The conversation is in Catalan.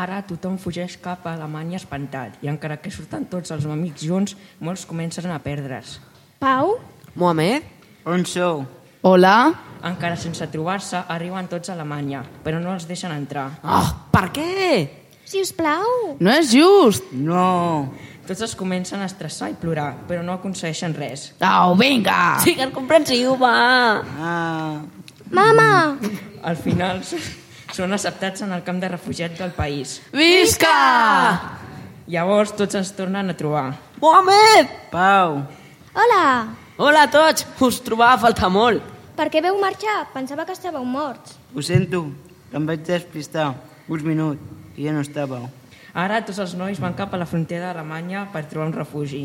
Ara tothom fugeix cap a Alemanya espantat i encara que surten tots els amics junts, molts comencen a perdre's. Pau? Mohamed? On sou? Hola? Encara sense trobar-se, arriben tots a Alemanya, però no els deixen entrar. Oh, per què? Si us plau. No és just. No. Tots es comencen a estressar i plorar, però no aconsegueixen res. Au, vinga! Sigues comprensiu, va! Mama! Al final són acceptats en el camp de refugiats del país. Visca! Llavors tots es tornen a trobar. Mohamed! Pau. Hola! Hola a tots! Us trobava a faltar molt. Per què veu marxar? Pensava que estàveu morts. Ho sento, que em vaig despistar. Uns minuts, i ja no estàveu. Ara tots els nois van cap a la frontera d'Alemanya per trobar un refugi.